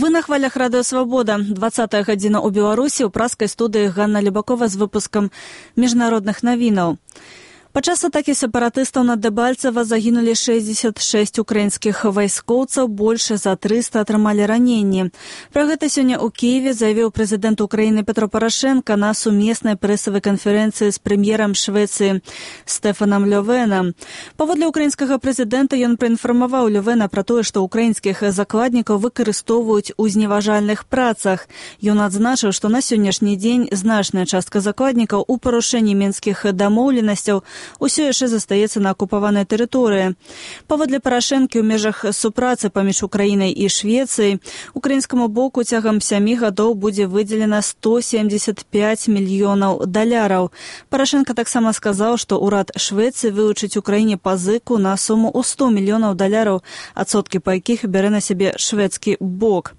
Вы на хвалях Радыё Свабода. 20-я гадзіна ў Беларусі ў праскай студыі Ганна Любакова з выпускам міжнародных навінаў. Падчас атакі сепаратыстаў на Дэбальцева загінулі 66 украінскіх вайскоўцаў, больш за 300 атрымалі раненні. Пра гэта сёння ў Кіеве заявіў прэзідэнт Украіны Петро Парашенка на сумеснай прэсавай канферэнцыі з прэм'ерам Швецыі Стэфанам Лёвенам. Паводле украінскага прэзідэнта ён праінфармаваў Лёвена пра тое, што украінскіх закладнікаў выкарыстоўваюць у зневажальных працах. Ён адзначыў, што на сённяшні дзень значная частка закладнікаў у парушэнні мінскіх дамоўленасцяў усё яшчэ застаецца на акупаванай тэрыторыі. Паводле Парашэнкі ў межах супрацы паміж Украінай і Швецыяй украінскаму боку цягам 7 гадоў будзе выдзелена $175 мільёнаў. Парашэнка таксама сказаў, што ўрад Швецыі вылучыць Украіне пазыку на суму ў $100 мільёнаў, адсоткі па якіх бярэ на сябе шведскі бок.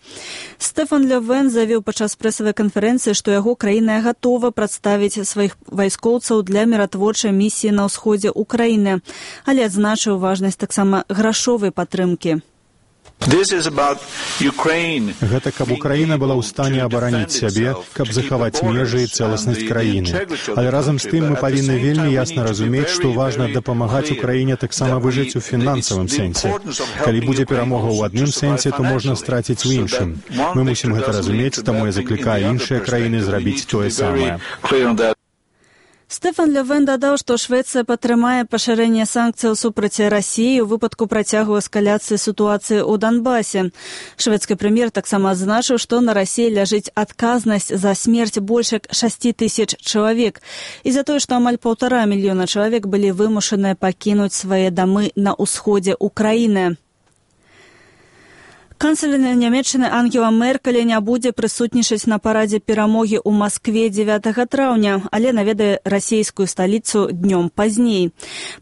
Стэфан Лёвен заявіў падчас прэсавай канферэнцыі, што яго краіна гатова прадставіць сваіх вайскоўцаў для міратворчай місіі на ўсходзе Украіны, але адзначыў важнасць таксама грашовай падтрымкі. Гэта каб Украіна была ў стане абараніць сябе, каб захаваць межы і цэласнасць краіны. Але разам з тым мы павінны вельмі ясна разумець, што важна дапамагаць Украіне таксама выжыць у фінансавым сэнсе. Калі будзе перамога ў адным сэнсе, то можна страціць у іншым. Мы мусім гэта разумець, таму я заклікаю іншыя краіны зрабіць тое самае. Стэфан Лёвен дадаў, што Швецыя падтрымае пашырэнне санкцыяў супраць Расіі ў выпадку працягу эскаляцыі сітуацыі ў Донбасе. Шведскі прэм'ер таксама адзначыў, што на Расіі ляжыць адказнасць за смерць больш як 6 000 чалавек і за тое, што амаль 1,5 мільёна чалавек былі вымушаныя пакінуць свае дамы на ўсходзе Украіны. Канцлер Нямецчыны Ангела Меркель не будзе прысутнічаць на парадзе перамогі ў Маскве 9 траўня, але наведае расійскую сталіцу днём пазней.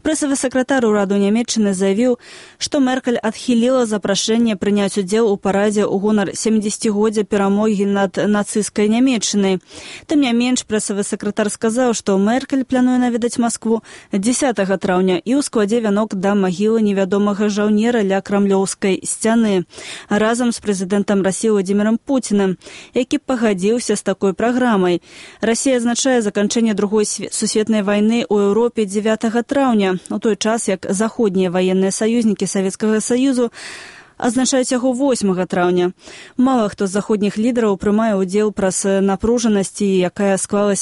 Прэсавы сакратар ураду Нямецчыны заявіў, што Меркель адхіліла запрашэнне прыняць удзел у парадзе ў гонар 70-годдзя перамогі над нацысцкай Нямецчынай. Тым не менш, прэсавы сакратар сказаў, што Меркель плануе наведаць Маскву 10 траўня і ў складзе вянок да магілы невядомага жаўнера ля крамлёўскай сцяны. Разам з прэзідэнтам Расіі Владзімірам Пуцінам, які пагадзіўся з такой праграмай. Расія азначае заканчэнне Другой сусветнай вайны ў Еўропе 9 траўня, у той час, як заходнія ваенныя саюзнікі Савецкага Саюзу азначаюць яго 8 траўня. Мала хто з заходніх лідараў прымае ўдзел праз напружанасць, якая склалася